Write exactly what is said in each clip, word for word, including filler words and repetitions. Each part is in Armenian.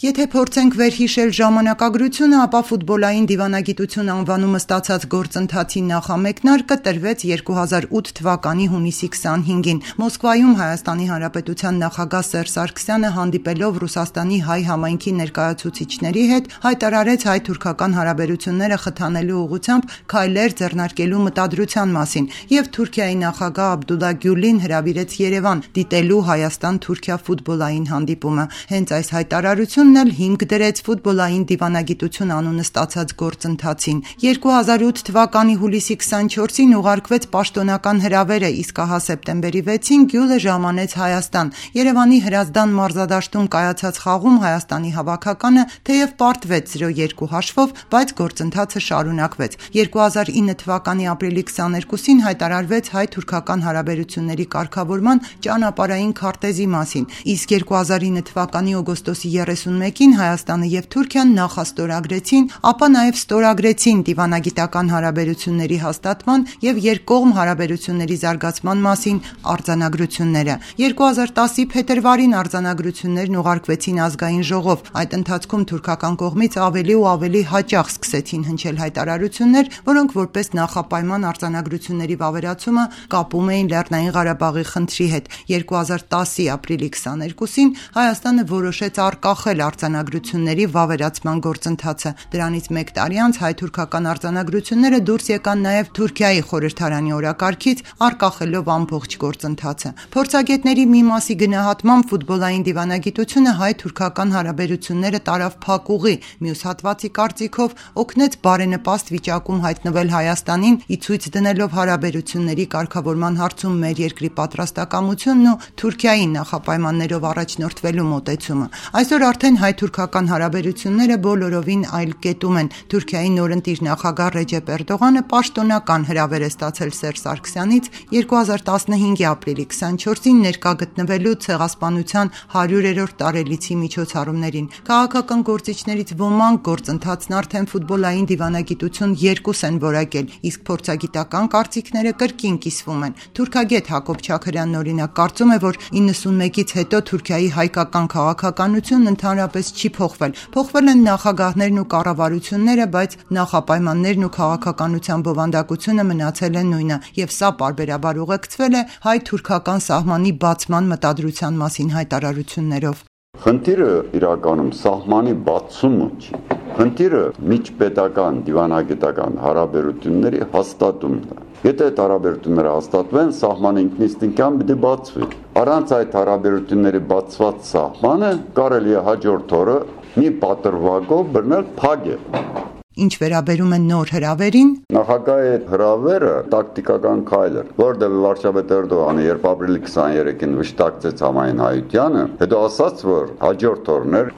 Եթե փորձենք վերհիշել ժամանակագրությունը, ապա ֆուտբոլային դիվանագիտություն անվանումը ստացած գործընթացի նախամեկնարկը տրվեց երկու հազար ութ թվականի հունիսի քսանհինգին։ Մոսկվայում Հայաստանի Հանրապետության նախագահ Սերժ Սարգսյանը հանդիպելով Ռուսաստանի հայ համայնքի ներկայացուցիչների հետ հայտարարեց հայ-թուրքական հարաբերությունները խթանելու ուղղությամբ քայլեր ձեռնարկելու մտադրության մասին եւ Թուրքիայի նախագահ Աբդուլլա Գյուլին հրավիրեց Երևան դիտելու Հայաստան-Թուրքիա ֆուտբոլային հանդիպումը։ Հենց այս հայտարարությունն էլ հիմք դրեց ֆուտբոլային դիվանագիտություն անունը ստացած գործընթացին։ երկու հազար ութ թվականի հուլիսի քսանչորսին ուղարկվեց պաշտոնական հրավերը, իսկ ահա սեպտեմբերի վեցին Գյուլը ժամանեց Հայաստան։ Երևանի Հրազդան մարզադաշտում կայացած խաղում Հայաստանի հավաքականը թեև պարտվեց զրո երկու հաշվով, բայց գործընթացը շարունակվեց։ երկու հազար ինը թվականի ապրիլի քսաներկուսին հայտարարվեց հայ-թուրքական հարաբերությունների կարգավորման ճանապարհային քարտեզի մասին, իսկ երկու հազար ինը թվականի օգոստոսի երեսունմեկին Հայաստանը եւ Թուրքիան նախաստորագրեցին, ապա նաեւ ստորագրեցին դիվանագիտական հարաբերությունների հաստատման եւ երկկողմ հարաբերությունների զարգացման մասին արձանագրությունները։ երկու հազար տասի փետրվարին արձանագրություններն ուղարկվեցին ազգային ժողով։ Այդ ընթացքում թուրքական կողմից ավելի ու ավելի հաճախ սկսեցին հնչել հայտարարություններ, որոնք որպես նախապայման արձանագրությունների վավերացումը կապում էին Լեռնային Ղարաբաղի խնդրի հետ։ երկու հազար տասի ապրիլի քսաներկուսին Հայաստանը որոշեց արգախել արձանագրությունների վավերացման գործընթացը։ Դրանից մեկ տարի անց հայ-թուրքական արձանագրությունները դուրս եկան նաև Թուրքիայի խորհրդարանի օրակարգից, արգախելով ամբողջ գործընթացը։ Փորձագետների մի մասի գնահատմամբ ֆուտբոլային դիվանագիտությունը հայ-թուրքական հարաբերությունները տարավ փակ ուղի, մյուս հատվածի կարծիքով օգնեց բարենպաստ վիճակում հայտնվել Հայաստանին, ի ցույց դնելով հարաբերությունների կարգավորման հարցում մեր երկրի պատրաստակամությունն ու Թուրքիայի նախապայմաններով առաջնորդվելու մոտեցումը։ Այսօր արդեն հայ-թուրքական հարաբերությունները բոլորովին այլ կետում են։ Թուրքիայի նորընտիր նախագահ Ռեջեփ Էրդողանը պաշտոնական հրավեր է ստացել Սերժ Սարգսյանից երկու հազար տասնհինգի ապրիլի քսանչորսին ներկա գտնվելու ցեղասպանության հարյուրերորդ տարելիցի միջոցառումներին։ Քաղաքական գործիչներից ոմանք գործընթացն արդեն ֆուտբոլային դիվանագիտություն երկուս են որակել, իսկ փորձագիտական կարծիքները կրկին կիսվում են։ Թուրքագետ Հակոբ Չաքրյանն օրինակ կարծում է, որ իննսունմեկից հետո Թուրքիայի հայկական քաղաքականությունն ընդհանրապես չի փոխվել։ Փոխվել են նախագահներն ու կառավարությունները, բայց նախապայմաններն ու քաղաքականության բովանդակությունը մնացել է նույնը, եւ սա պարբերաբար ուղեկցվել է հայ-թուրքական սահմանի բացման մտադրության մասին հայտարարություններով։ Խնդիրը իրականում սահմանի բացումը չի։ Խնդիրը միջպետական դիվանագիտական հարաբերությունների հաստատումն է։ Եթե այդ հարաբերությունները հաստատվեն, սահմանը ինքնիստինքյան պիտի բացվի։ Առանց այդ հարաբերությունների բացված սահմանը կարելի է հաջորդ օրը մի պատրվակով բռնել փագել։ Ինչ վերաբերում է նոր հրավերին, նախագահի հրավերը տակտիկական քայլ էր, որտեղ վարչապետ Էրդողանը երբ ապրիլի քսաներեքին վշտակցեց համայն հայությանը, հետո ասաց, որ հաջորդ օրներ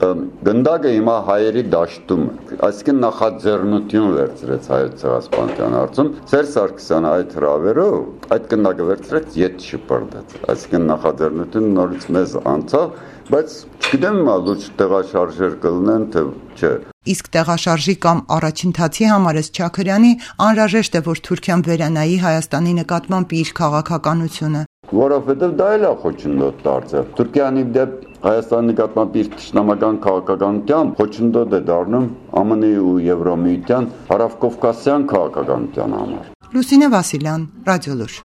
գնդակը հիմա հայերի դաշտում է, այսինքն նախաձեռնություն վերցրեց հայոց ցեղասպանության հարցում, Սերժ Սարգսյանը այդ հրավերով այդ գնդակը վերցրեց, ետ շպրտեց, այսինքն նախաձեռնությունը նորից մեզ անցավ, բայց չգիտեմ հիմա լուրջ տեղաշարժեր կլինեն, թե չէ։ Իսկ տեղաշարժի կամ առաջընթացի համար ըստ Չաքրյանի անհրաժեշտ է, որ Թուրքիան վերանայի Հայաստանի նկատմամբ իր քաղաքականությունը։ Որովհետև դա էլ է խոչընդոտ դարձել։ Թուրքիանի դեպ Հայաստանի նկատմամբ իր թշնամական քաղաքականությամբ խոչընդոտ է դառնում ԱՄՆ ու Եվրոմիության հարավկովկասյան քաղաքականության համար։ Լուսինե Վասիլյան, Ռադիոլուր։